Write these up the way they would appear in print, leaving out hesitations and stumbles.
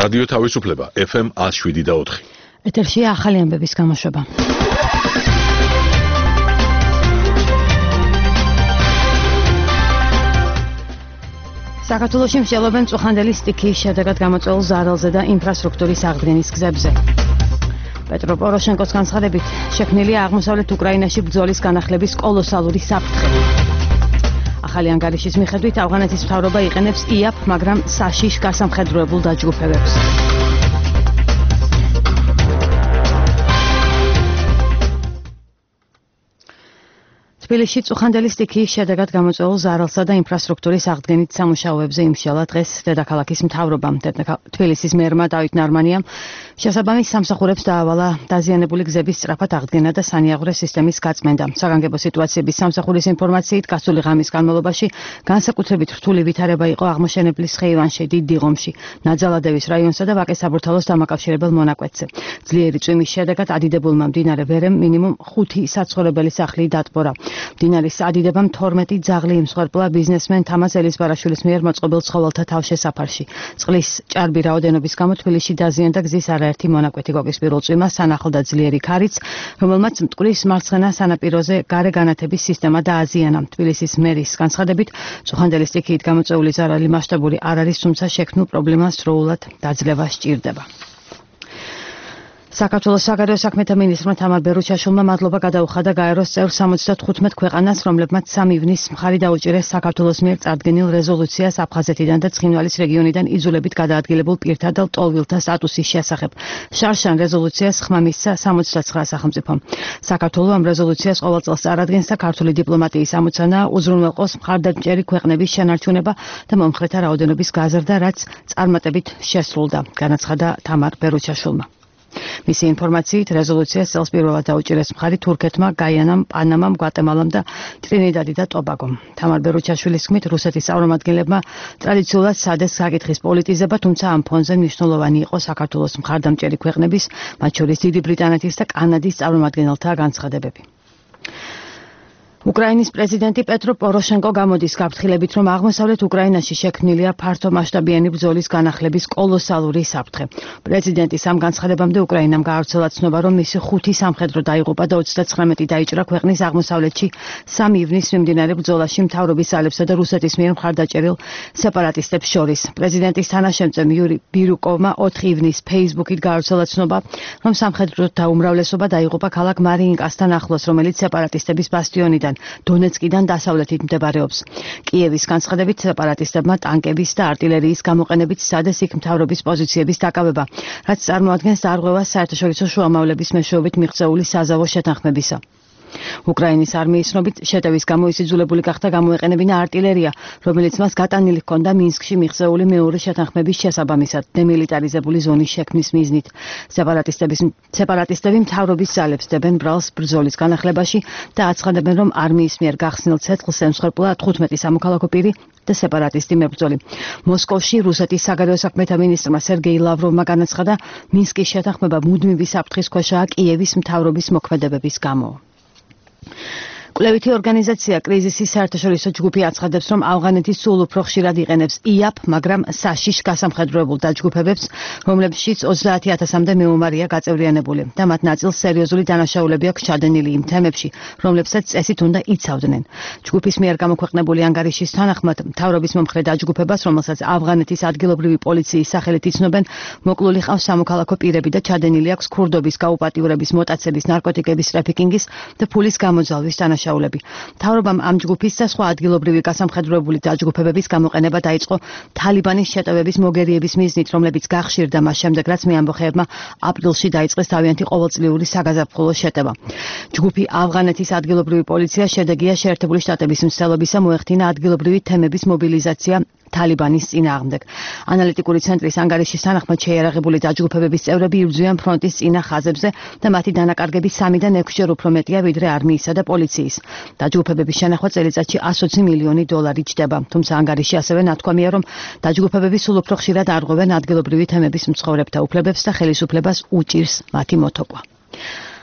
რადიო თავისუფლება FM 107.4. ეთერშია ახალი ამბების გამოშვება. საქართველოში მსჯელობენ წუხანდელი სტიქიის შედეგად გამოწვეულ ზარალზე და ინფრასტრუქტურის აღდგენის გზებზე. პეტრო პოროშენკოს განცხადებით, შექმნილია აღმოსავლეთ უკრაინაში ბრძოლის განახლების კოლოსალური საფრთხე. ახალი ანგარიშის მიხედვით ავღანეთის მთავრობა იყენებს იაპ, მაგრამ საშიშ გასამხედროებულ დაჯგუფებებს. თბილისში წუხანდელი სტიქიის შედეგად გამოწვეულ ზარალსა და ინფრასტრუქტურის აღდგენით სამუშაოებზე იმსჯელა დღეს დედაქალაქის მთავრობამ. თბილისის მერმა დავით ნარმანიამ შესაბამის სამსახურებს დაავალა დაზიანებული გზების სწრაფად აღდგენა და სანიაღვრე სისტემის გაწმენდა. საგანგებო სიტუაციების სამსახურის ინფორმაციით გასული ღამის განმავლობაში განსაკუთრებით რთული ვითარება იყო აღმოჩენებლის ხეივანში, დიდ დიღომში, ნაძალადევის რაიონსა და ვაკეს საბურთალოს დამაკავშირებელ მონაკვეთზე. ძლიერი წვიმის შედეგად ადიდებულმა მდინარე ვერემ მინიმუმ 5 საცხოვრებელი სახლი დატბორა. მდინარის ადიდებამ 12 ძაღლი იმსხვერპლა ბიზნესმენ თამაზ ელისბარაშვილის მიერ მოწყობილ ცხოველთა თავშესაფარში. წყლის ჭარბი რაოდენობის გამო თბილისში დაზიანდა გზის არაერთი მონაკვეთი. გოგის პირველ წვიმას ანახლდა ძლიერი ქარიც, რომელმაც მტკვრის მარცხენა სანაპიროზე გარე განათების სისტემა დააზიანა. თბილისის მერის განცხადებით, წუხანდელი სტიქიით გამოწვეული ზარალი მასშტაბური არ არის, თუმცა შექმნილ პრობლემას დროულად დაძლევა სჭირდება. საქართველოს საგარეო საქმეთა მინისტრმა თამარ ბერუჩაშვილმა მადლობა გადაუხადა გაეროს წევრ 75 ქვეყანას, რომლებმაც 3 ივნის მხარი დაუჭირეს საქართველოს მიერ წარდგენილ რეზოლუციას აფხაზეთიდან და ცხინვალის რეგიონიდან იძულებით გადაადგილებულ პირთა და ლტოლვილთა სტატუსის შესახებ. შარშან რეზოლუციას ხმა მისცა 69 სახელმწიფომ. საქართველო ამ რეზოლუციას ყოველ წელს წარადგენს და ქართული დიპლომატიის ამოცანაა უზრუნველყოს მხარდამჭერი ქვეყნების შენარჩუნება და მომხრეთა რაოდენობის გაზრდა, რაც წარმატებით შესრულდა, განაცხადა თამარ ბერუჩაშვილმა. მისი ინფორმაციით რეზოლუციას წელს პირველად დაუჭირეს მხარი თურქეთმა, გაიანამ, პანამამ, გვატემალამ და ტრინიდადი და ტობაგომ. თამარ ბერუჩაშვილის თქმით, რუსეთის წარმომადგენლებმა ტრადიციულად სადეს საკითხის პოლიტიზება, თუმცა ამ ფონზე მნიშვნელოვანი იყო საქართველოს მხარდამჭერი ქვეყნების, მათ შორის დიდი ბრიტანეთის და კანადის წარმომადგენელთა განცხადებები. უკრაინის პრეზიდენტი პეტრო პოროშენკო გამოდის გაფრთხილებით, რომ აღმოსავლეთ უკრაინაში შექმნილია ფართომასშტაბიანი ბრძოლის განახლების კოლოსალური საფრთხე. პრეზიდენტის ამ განცხადებამდე უკრაინამ გაავრცელა ცნობა, რომ მისი 5 სამხედრო დაიღუპა და 29 დაიჭრა ქვეყნის აღმოსავლეთში 3 ივნის მიმდინარე ბრძოლაში მთავრობის ძალებსა და რუსეთის მიერ მხარდაჭერილ სეპარატისტებს შორის. პრეზიდენტის თანაშემწე იური ბირუკოვმა 4 ივნის Facebook-ით გაავრცელა ცნობა, რომ სამხედროთა უმრავლესობა დაიღუპა ქალაქ მარიინკასთან ახლოს, რომელიც სეპარატისტების ბასტიონიდან დონეცკიდან დასავლეთით მდებარეობს. კიევის განცხადებით სეპარატისტებმა ტანკების და არტილერიის გამოყენებით სცადეს იქ მთავრობის პოზიციების დაკავება, რაც წარმოადგენს დარღვევას საერთაშორისო შუამავლების მეშვეობით მიღწეული საზავო შეთანხმებისა. უკრაინის არმიის ცნობით, შეტევის გამო ის იძულებული გახდა გამოეყენებინა არტილერია, რომელიც მას გატანილი ჰქონდა მინსკში მიღწეული მეორე შეთანხმების შესაბამისად, დემილიტარიზებული ზონის შექმნის მიზნით. სეპარატისტები მთავრობის ძალებს დებენ ბრალს ბრძოლის განახლებაში და აცხადებენ, რომ არმიის მიერ გახსნილ ცეცხლს ემსხვერპლა 15 სამოქალაქო პირი და სეპარატისტი მებრძოლი. მოსკოვში რუსეთის საგარეო საქმეთა მინისტრმა სერგეი ლავროვმა განაცხადა, მინსკის შეთანხმება მუდმივი საფრთხის ქვეშაა კიევის მთავრობის მოქმედებების გამო. კვლევითი ორგანიზაცია კრიზისის საერთაშორისო ჯგუფი აცხადებს, რომ ავღანეთი სულ უფრო ხშირად იყენებს იაპ, მაგრამ საშიშ გასამხედროებულ დაჯგუფებებს, რომლებშიც 30,000-მდე მეომარია გაწევრიანებული და მათ ნაწილს სერიოზული დანაშაულები აქვს ჩადენილი იმ თემებში, რომლებსაც წესით უნდა იცავდნენ. ჯგუფის მიერ გამოქვეყნებული ანგარიშის თანახმად, მთავრობის მომხრე დაჯგუფებას, რომელსაც ავღანეთის ადგილობრივი პოლიციის სახელით იცნობენ, მოკლული ყავს სამოქალაქო პირები და ჩადენილი აქვს ქურდობის გაუპატიურების, მოტაცების, ნარკოტიკების ტრაფიკინგის და ფულის გამოძალვის დანაშაულები. მთავრობამ ამ ჯგუფის და სხვა ადგილობრივი გასამხედროებული დაჯგუფებების გამოყენება დაიწყო თალიბანის შეტევების მოგერიების მიზნით, რომლებიც გახშირდა მას შემდეგ, რაც მე ამბოხეებმა აპრილში დაიწყეს თავიანთი ყოველწლიური საგაზაფხულო შეტევა. ჯგუფი ავღანეთის ადგილობრივი პოლიცია შედეგია შეერთებული შტატების მცდელობისა მოეხდინა ადგილობრივი თემების მობილიზაცია თალიბანის წინააღმდეგ. ანალიტიკური ცენტრის ანგარიშის თანახმად შეიარაღებული დაჯგუფებების წევრები იბრძვიან ფრონტის წინა ხაზებზე და მათი დანაკარგები 3-დან 6 ჯერ უფრო მეტია ვიდრე არმიისა და პოლიციის. დაჯგუფებების შენახვა წელიწადში 120 მილიონი დოლარი ჯდება. თუმცა ანგარიში ასევე ნათქვამია, რომ დაჯგუფებები სულ უფრო ხშირად არღვევენ ადგილობრივი თემების მცხოვრებთა უფლებებს და ხელისუფლებას უჭირს მათი მოთოკვა.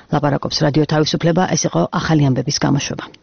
ლაპარაკობს რადიო თავისუფლება, ეს იყო ახალი ამბების გამოშვება.